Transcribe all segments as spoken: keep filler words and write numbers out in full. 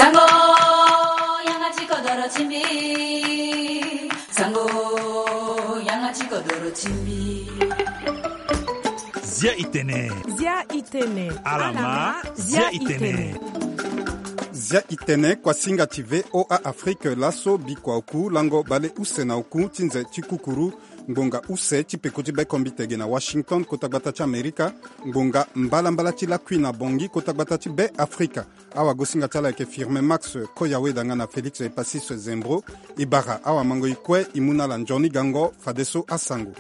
Sango, yanga ti kodoro ti mbi. Sango, yanga ti kodoro ti mbi. Zia itene. Zia itene. Alama, zia itene. Zia itene, kuasinga ti V O A Afrique, laso bikua oku lango bale use na oku ti nze ti kukuru, ngbonga use ti peko ti be kombite ge na Washington, kota gbata ti Amerika, ngbonga mbalambala ti lakui na Bangui, kota gbata ti be Afrika. Awagosinga ti ala ayeke Firmin Max Koyaweda nga na Félix Epasis Zembro. E bara awamango e kue e mu na ala nzoni gango fadeso asango.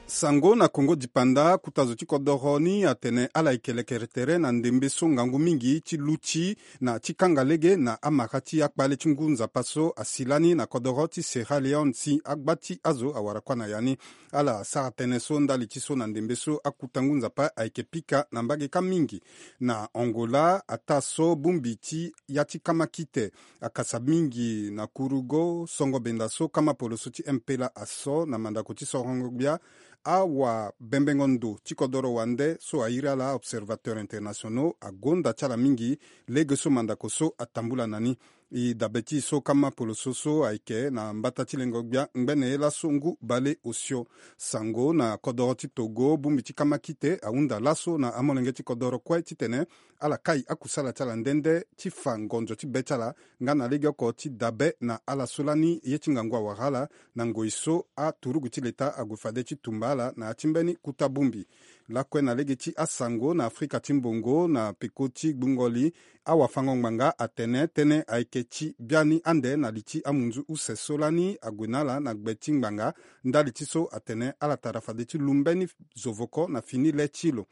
Sango na Kongo dipanda, kota zo ti kodoro ni atene ala yeke lekere tere na ndembe so ngangu mingi ti luti na ti kanga lege na amara ti akpale ti ngu nzapa so asi lani na kodoro ti Sierra Leone, si agba ti azo awara kuâ na ya ni. Ala sara tënë so ndali ti so na ndembe so akuta ngu nzapa ayeke pika na mbage kâ mingi. Na Angola, ataa so bongbi ti ya ti kama kite akasa mingi na kurugo songo benda so kama poloso ti M P L A aso na mandako ti sorongo gbia. Awabembengo ndo ti kodoro wande so airi ala Observateurs Internationaux agonda ti ala mingi lege so mandako so atambula na ni. E dabe ti e so kama poloso so ayeke na mbata ti lengo gbia ngbene ye laso ngu bale osio. Sango na kodoro ti Togo, bongbi ti kama kite ahunda laso na amolenge ti kodoro kue titene ala kai akusala ti ala nde nde ti fa ngonzo ti be ti ala nga na legeoko ti dabe na ala so lani ye ti ngangu awara ala na ngoi so aturugu ti leta ague fade ti tumba ala na ya ti mbeni kuta bongbi. Lakue na lege ti asango na Afrika ti mbongo na peko ti gbungo li, awafango-ngbanga atene tënë ayeke ti biani ande na li ti amunzu use so lani ague na ala na gbe ti ngbanga. Ndali ti so atene ala tara fade ti lu mbeni zovoko na fini le ti lo.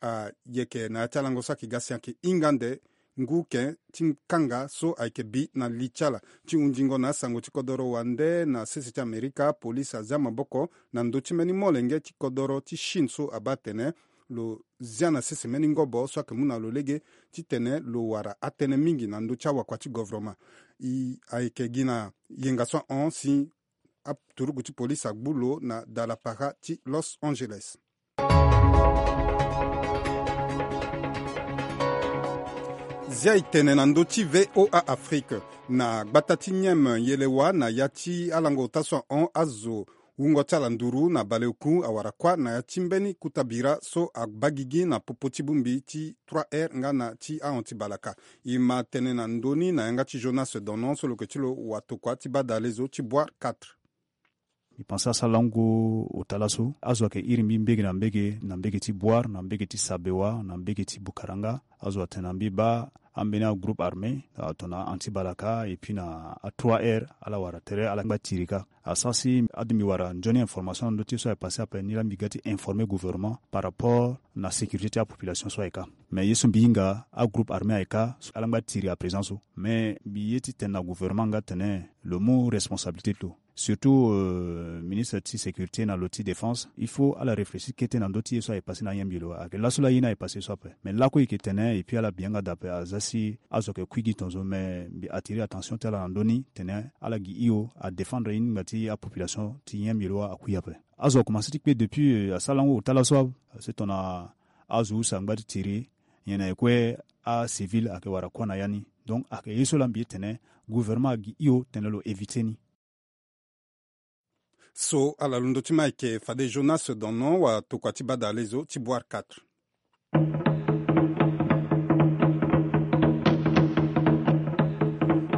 Ayeke na ya ti alango so ayeke ga si ayeke hinga ande ngu ke ti kanga so ayeke bi na li ti ala. Ti hundingo na asango ti kodoro wande na sese ti Amerika, polisi azia maboko na ndö ti mbeni molenge ti kodoro ti Chine so abaa atene lo zia na sese mbeni ngobo so ayeke mu na lo lege titene lo wara atënë mingi na ndö ti awakua ti govoroma. E ayeke gi na yenga so ahon si aturugu ti polisi agbu lo na dalapara ti Los Angeles. Zia e tene na ndö ti V O A Afrique. Na gbata ti Nieme, yelewa na ya ti alango ota so ahon azo wungo ti ala nduru na baleoku awara kuâ na ya ti mbeni kuta bira so abaa gigi na popo ti bongbi ti trois R nga na ti ahon ti balaka. E ma tënë na ndö ni na yanga ti Jonas Donon so lo yeke ti lo watokua ti badalezo ti Boire quatre. Mbi pense asara lango ota laso azo ayeke iri mbi mbege na mbege, na mbege ti Boire, na mbege ti Sabewa, na mbege ti Bukaranga. Azo atene na mbi baa ambeni agroupe armé, ah, tongana anti balaka et puis na a trois R, ala wara tere, ala ngba tiri kâ. Asara si adu mbi wara nzoni information na ndö ti ye so aye passé ape, ni laa mbi ga ti informer gouvernement par rapport na sécurité ti apopulation so aye kâ. Mais ye so mbi hinga, agroupe armé aye kâ, ala ngba tiri à présent so. Mais mbi ye ti tene na gouvernement nga atene lo mu responsabilité ti lo. Surtout, euh, ministre ti sécurité na lo ti défense, il faut ala réfléchir kete na ndö ti ye so aye passé na nyen mbi lo. Ayeke laso laa ye ni aye passé so ape. Mais lakue e yeke tene, et puis ala bi yanga daa ape, aza si azo ayeke kui gi tongaso, mais mbi attirer attention ti ala na ndö ni, tene ala gi hio adéfendre ye ni ngba ti apopulation ti nyen mbi lo akui ape. Azo akomanse ti kpe depuis, euh, asara lango ota laso ape. Se tongana azo use angba ti tiri, nyen na ye kue acivil ayeke wara kuâ na ya ni. Donc ayeke ye so laa mbi ye tene gouvernement agi hio tene lo éviter ni. So ala londo ti ma ayeke fade Jonas Donon watokua ti badalezo ti Boire quatre.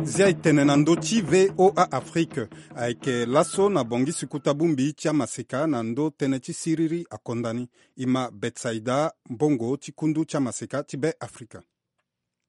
Zia e tene na ndö ti V O A Afrique. Ayeke laso na Bangui si kuta bongbi ti amaseka na ndö tënë ti siriri akonda ni. E ma Betsaida Mbongo ti kundu ti amaseka ti Be Afrika.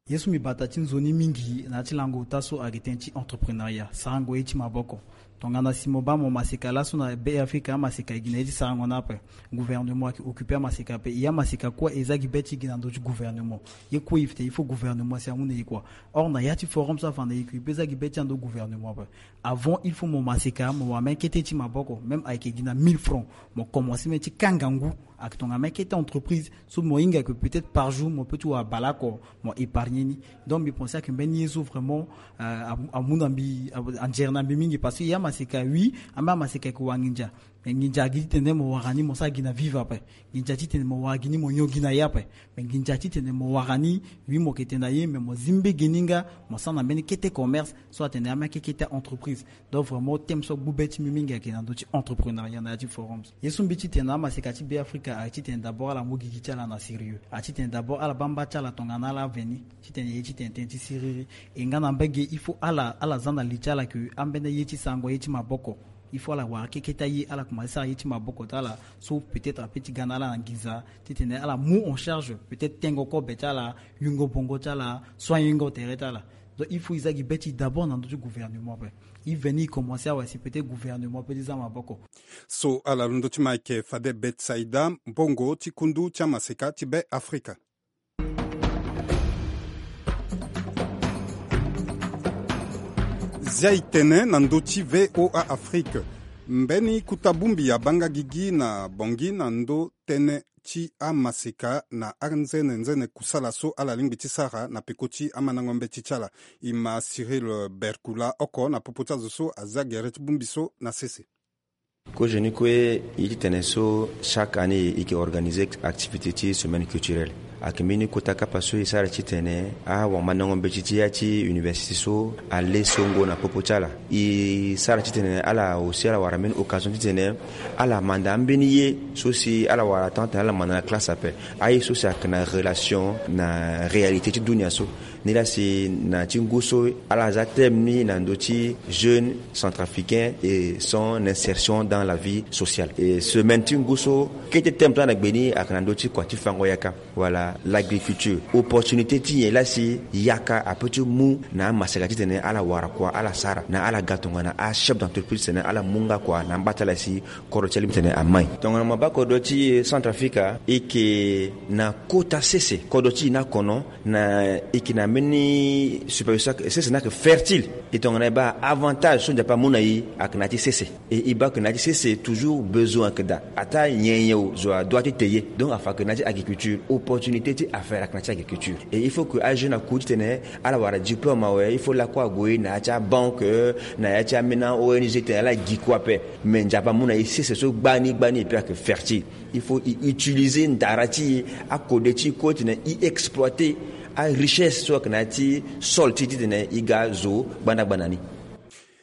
Ye so mbi bata ti nzoni mingi na ya ti lango ota so ayeke tënë ti entrepreneuriat, sarango ye ti maboko. Tongana si mo baa mo maseka laso na Be Afrika, amaseka e gi na ye ti sarango ni ape. Gouvernement ayeke occuper amaseka ape. E amaseka kue e zia gi be ti e gi na ndö ti gouvernement. Ye kue e tene il faut gouvernement si amu na e kua. Or na ya ti forum so afa na e kue e peut zia gi be ti e na ndö gouvernement ape. Avant il faut mo maseka mo wara même kete ti maboko, même ayeke gi na mille francs, mo commencer même ti kanga ngu. Ayeke tongana même kete entreprise so mo hinga ayeke peut-être par jour mo peut ti wara baleoko mo épargner ni. Donc mbi pense ayeke mbeni ye so vraiment, euh, amu na mbi, anzere na mbi mingi parce que e amaseka oui, ambeni amaseka ayeke wanginza. Me nginza gi titene mo wara ni mo sara gi na vive ape. Nginza titene mo wara gi ni mo nyon gi na ye ape. Me nginza titene mo wara ni, wi, mo ke tene na ye, me mo zi mbege ni nga, mo sara na mbeni kete commerce so atene ameke kete entreprise. Donc vraiment thème so agbu be ti mbi mingi ayeke na ndö ti entrepreneuriat na ya ti forum so. Ye so mbi titene amaseka ti Beafrika ayeke titene d'abord ala mu gigi ti ala na sérieux. Atitene d'abord ala baa mba ti ala tongana ala veni titene ye titene tënë ti siriri. E nga na mbage il faut ala ala za na li ti ala ke ambeni ye ti sarango ye ti maboko. Il faut ala wara keketa ye, ala komanse sara ye ti maboko ti ala so peut-être ape ti ga na ala na nginza titene ala mu en charge peut-être tengo kobe ti ala, yungo bongo ti ala, soignengo tere ti ala. Donc il faut e za gi be ti d'abord na ndö ti gouvernement ape. E veni e komanse awe si peut-être gouvernement ape ti za maboko. So ala londo ti ma ayeke fade Betsaida Mbongo ti kundu ti amaseka ti Beafrika. Zia e tene na ndö ti VOA Afrique. Mbeni kota bongbi abaa nga gigi na Bangui na ndö tënë ti amaseka na anzene nzene kusala so ala lingbi ti sara na peko ti amandango mbeti ti ala. E ma Cyril Berkula oko na popo ti azo so azia gere ti bongbi so na sese. Kozo ni kue, e titene so chaque année e yeke organiser activité ti semaine culturelle. Ayeke mbeni kota kapa so e sara titene awamandango mbeti ti ya ti université so ale songo na popo ti ala. E sara titene ala aussi ala wara mbeni occasion titene ala manda ambeni ye so si ala wara tant tene ala manda na classe ape. Aye so si ayeke na relation na réalité ti dunia so. Nilaa si na ti ngu so ala za thème ni na ndö ti jeune centrafricain et son insertion dans la vie sociale. Et semaine ti ngu so kete thème so ala na gbe ni ayeke na ndö ti kua ti fango yaka. Wala l'agriculture. Opportunité ti nyen laa si yaka apeut ti mu na amaseka titene ala wara kua ala sara na ala ga tongana achef d'entreprise titene ala mu nga kua na amba ti ala si kodro ti ala titene amai. Tongana mo baa kodro ti Centrafrica e yeke na kota sese, kodro ti e ni akono na e yeke na mbeni superficie sese ni ayeke fertile. E tongana e baa avantage so Nzapa amu na e ayeke na ya ti sese. E e baa ayeke na ya ti sese toujours besoin ayeke daa. Ataa nyen nyen zo adoit ti te ye. Donc afa ayeke na ya ti agriculture opportunité ti affaire ayeke na ya ti agriculture. Et il faut que ajeune aku titene ala wara diplôme awe, il faut lakue ague na ya ti abanque, na ya ti ambeni ONG titene ala gi kue ape. Mais Nzapa amu na e sese so gbani gbani et puis ayeke fertile. Il faut e utiliser ndara ti e, akode ti e kue titene e exploiter arichesse so ayeke na ya ti sol ti e titene e ga zo gbanda gbanda ni.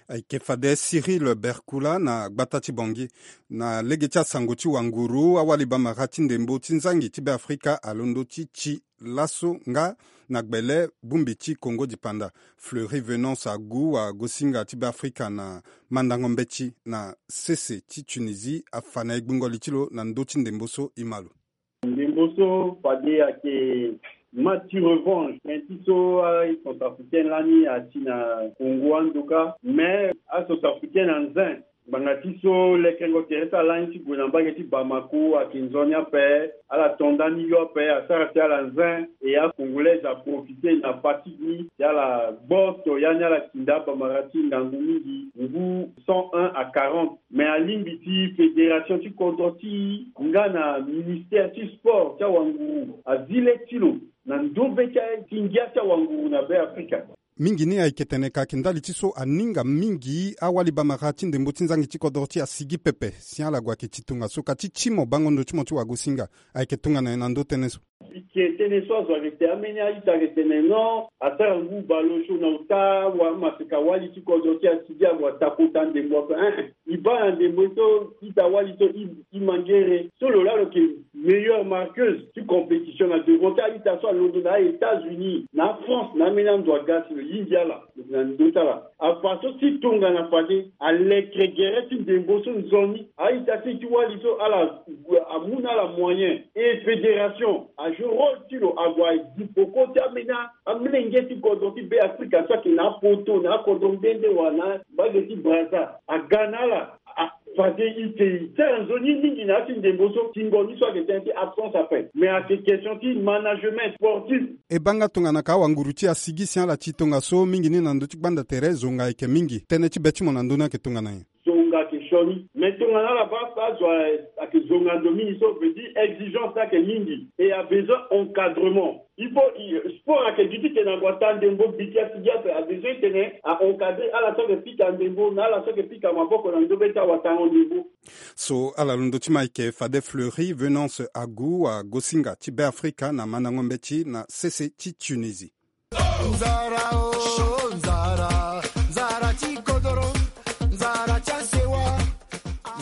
Ayeke fade Cyril Berkula na gbata ti Bangui. Na lege ti asango ti wanguru, awali bamara ti ndembo ti nzangi ti Beafrika alondo ti ti laso nga na gbele bongbi ti Congo dipanda. Fleury Venance Agu agosinga ti Beafrika na mandango mbeti na sese ti Tunisie afa na e gbungo li ti lo na ndö ti ndembo so e ma lo. Ndembo so fade ayeke match ti revanche, tënë ti so acentrafricain lani ati na Congo andoka. Mais acentrafricain na nze ngbanga ti so lekerengo tere ti ala lani ti gue na mbage ti Bamako ayeke nzoni ape. Ala to ndani yo ape, asara ti ala nze. E acongolais aprofite na fatigue ni si ala gboto, yani ala kinda abamara ti ngangu mingi, ngu cent un à quarante. Mais alingbi ti fédération ti kodro ti e nga na ministère ti sport ti awanguru azi le ti lo na ndö be ti aye ti ngia ti awanguru na Beafrika. Mingi ni ayeke tene ka ayeke ndali ti so aninga mingi awali bamara ti ndembo ti nzangi ti kodro ti e asigi pepe si ala gue ayeke ti tongaso. Ka ti ti mo bango ndo ti mo ti wagosinga ayeke tongana nyen na ndö tënë so? Ike tënë so azo ayeke tene, ambeni a-ita ayeke tene non, asara ngu bale osio na ota wa amaseka wali ti kodro ti asigi ague atakota ndembo ape. Ein, e baa na ndembo so ita wali so e, e mangere so lo laa lo yeke meilleure marqueuse ti compétition na devant ti a-ita so alondo na a-États-Unis, na a-France, na ambeni ando aga si lo yingi ala. Na ndö ti ala afa so ti tongana fade alekere gere ti ndembo so nzoni. A-ita ti e ti wali so ala amu na ala moyen. E fédération ajoue rôle ti lo ague azi peko ti ambeni amolenge ti kodro ti Beafrika so ayeke na apoto na akodro nde nde wala na mbage ti Brazza aga na ala. A, fade ite e sara nzoni mingi na ya ti ndembo so, tingo ni so ayeke tënë ti absence ape. Mais ayeke question ti management sportif. E baa nga tongana ka awanguru ti e asigi si ala ti tongaso mingi ni na ndö ti gbanda tere, zonga ayeke mingi. Tënë ti be ti mo na ndö ni ayeke tongana nyen? Zonga ayeke Toni mais tongana ala baa azo ayeke zonga ndo mingi so veut dire exigence ayeke mingi et a besoin encadrement. Il faut sport ayeke gi ti tene ague ata ndembo gi ti asi gi ape a besoin ti tene a encadrer ala so ayeke pika ndembo na ala so ayeke pika maboko na ndö be ti awatango ndembo. So ala londo ti ma ayeke fade Fleury Venance Agu agosinga ti Beafrika na mandango mbeti na sese ti Tunisie. Nzara o nzara, nzara ti kodoro, nzara ti asewa.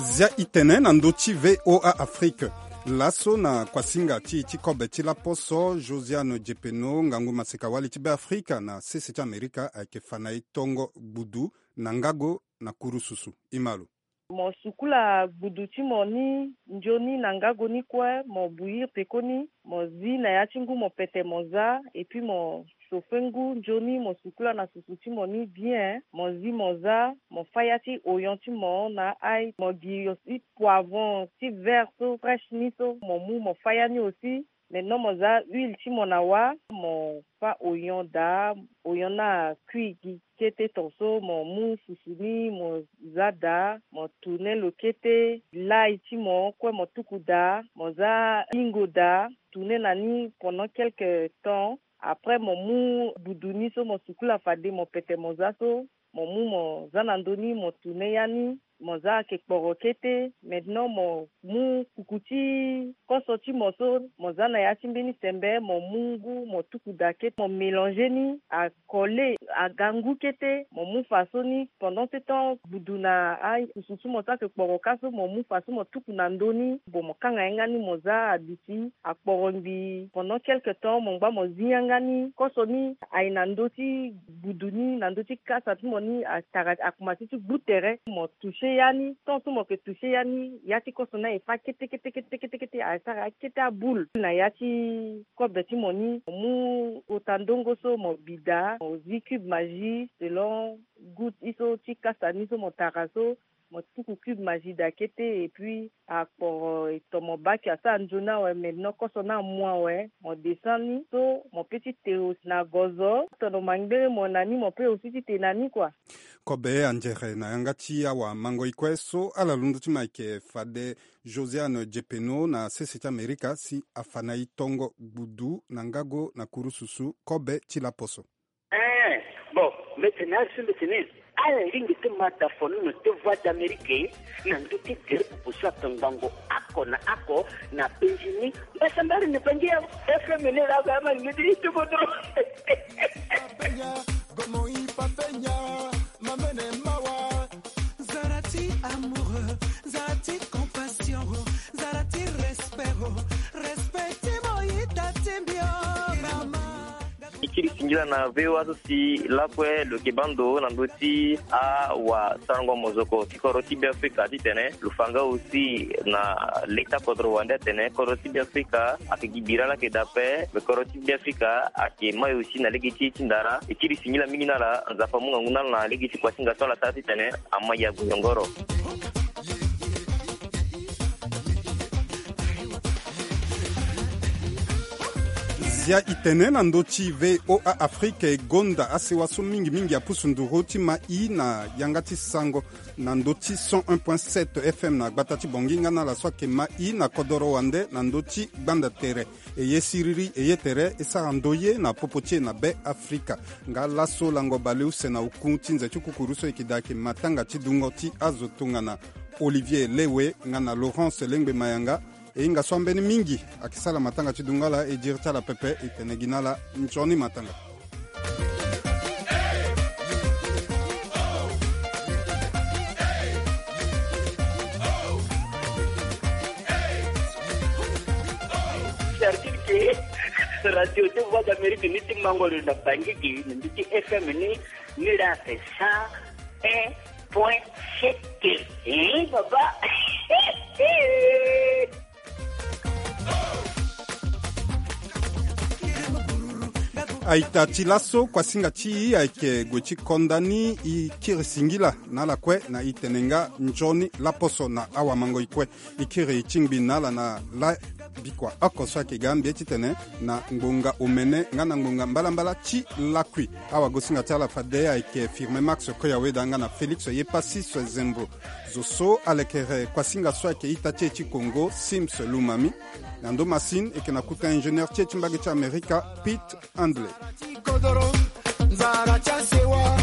Zia itene na ndö ti V O A Afrique. Laso na kuasinga ti e ti kobe ti laposo, Josiane Diepeno, ngangu maseka wali ti Beafrika na sese ti Amerika ayeke fa na e tongo gbudu na ngago na kurususu. Imalo. Mo sukula gbudu ti mo ni nzoni na ngago ni kue, mo buyir pekoni, mo zi na ya ti ngu mo pete mo za, et puis mo chauffer ngu nzoni, mo sukula na susu ti mo ni bien, mo zi mo za, mo fâ ya ti oyon ti mo na ail, mo gi aussi poivron ti vert so fraîche ni so, mo mu mo fâ ya ni aussi. Maintenant mo za huile ti mo na wâ, mo fâ oyon daa, oyon ni a kui gi kete ton so, mo mu susu ni mo za daa, mo tourner lo kete, l'ail ti mo kue mo tuku daa, mo za hingo daa, tourner na ni pendant quelque temps. Après mo mu gbudu ni so mo sukula fade mo pete mo za so, mo mu mo za na ndö ni, mo tourner ya ni, mo za ayeke kporo kete. Maintenant mo mu kuku ti koso ti mo so, mo za na ya ti mbeni sembe, mo mu ngu mo tuku daa kete, mo mélanger ni, a coller, aga ngu kete, mo mu faso ni. Pendant ce temps gbudu na asusu ti mo so ayeke kporo kâ so, mo mu faso mo tuku na ndö ni, bon mo kanga ye nga ni mo za aduti, akporo ngbii. Pendant quelque temps mo ngba mo zi yanga ni, koso ni aye na ndö ti gbudu ni, na ndö ti kasa ti mo ni, atara akomanse ti gbu tere. Mo toucher ya ni, tant so mo yeke toucher ya ni, ya ti koso ni aye fâ kete kete kete kete kete, aye sara ya kete aboule na ya ti kobe ti mo ni. Mo mu kota ndongo so mo bi daa, mo zi cube Maggi selon goût ti so ti kasa ni so mo tara so, mo tuku cube Maggi daa kete, et puis akporo e tomo baki asara nzoni awe. Maintenant koso ni amu awe, mo descend ni so mo pe ti te aussi na gozo, tono mangbere mo na ni, mo pe aussi ti te na ni kua. Kobe anzere na yanga ti awamango-e kue so ala londo ti ma ayeke fade Josiane Diepeno na sese ti Amerika si afa na e tongo gbudu na ngago na kurususu kobe ti laposo. Eh, bon, mbetene azo, mbetene ala lingbi ti ma da fonono ti Voix d'Amérique na ndö ti gere pupu so atongbango oko na oko na penzi ni. Mbasambari ni pangi ya F M ni la ba ma ni ti ti bodo. Papenya, gomo i papenya, mamene mawa. Nzara ti amoureux, nzara ti compassion, nzara ti respect, respect ti mo ita ti mbio mama. E kiri singila na V O A so si lakue lo yeke baa ndo na ndö ti awasarango mozoko ti kodro ti Beafrika titene lo fa nga aussi na leta kodro wande atene kodro ti Beafrika ayeke gi bira laa ayeke daa ape, me kodro ti Beafrika ayeke mai aussi na lege ti ye ti ndara. E kiri singila mingi na ala, Nzapa amu ngangu na ala na lege ti kuasinga so ala sara titene ama ya gue yongoro. Zia itene na ndö ti V O A Afrique, e gonda asewa so mingi mingi apusu nduru ti ma i na yanga ti sango na ndö ti cent un point sept F M na gbata ti Bangui nga na ala so ayeke ma i na kodoro wande na ndö ti gbanda tere. E ye siriri, e ye tere, e sara ndoye na popo ti e na Be Afrika. Nga laso lango baleuse na oku ti nze ti kukuru so e yeke daa ayeke matanga ti dungo ti azo tongana Olivier Lewe nga na Laurence Lengbe Mayanga. E hinga so ambeni mingi ayeke sara matanga ti dungo ala, e diri ti ala pepe, e tene gi na ala nzoni matanga. Sarkil ke radio ti Voix d'Amérique ni ti mango lo na Bangui gi na ndö ti F M ni, ni la fait cent un point sept. Hein, papa? A-ita ti laso, kuasinga ti e ayeke gue ti konda ni. E kiri singila na ala kue na e tene nga nzoni laposo na awamango-e kue. E kiri e ti ngbi na ala na la Bikua oko so ayeke ga mbi ye titene na ngbonga omene nga na ngbonga mbalambala ti lakui. Awagosinga ti ala fade ayeke Firme Max Koyaweda nga na Félix Yepasis Zembo. Zo so alekere kuasinga so ayeke ita ti e ti Congo, Sims Lumami. Na ndo masine eke na kuta ingénieur ti e ti mbage ti Amerika, Pete Handley. Nzara ti asewa.